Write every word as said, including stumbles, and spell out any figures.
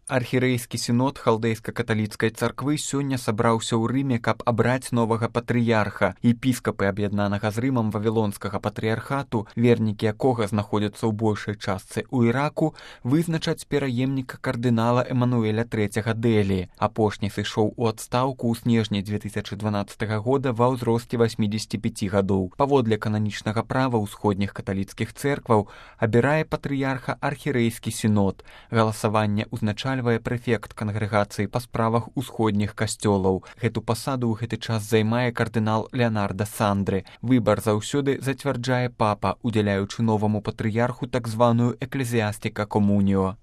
Архірэйскі сінод халдэйска-каталіцкай царквы сёння сабраўся ў Рыме, каб абраць новага патрыярха. Епіскапы аб'яднанага з Рымам вавілонскага патрыярхату, вернікі якога знаходзяцца ў большай частцы ў Іраку, вызначаць пераемніка кардынала Эмануэля трэцяга Дэлі. Апошні сышоў у адстаўку ў снежні дзве тысячы дванаццатага года ва ўзросце васьмідзесяці пяці гадоў. Паводле кананічнага права ўсходніх каталіцкіх цэркваў абірае патрыярха архірэйскі сінод. Галасаванне ўзначальвае прэфект кангрэгацыі па справах усходніх касцёлаў. Гэту пасаду ў гэты час займае кардынал Леонардо Сандры. Выбар заўсёды зацвярджае папа, удзяляючы новаму патрыярху так званую эклезіастика комуніо.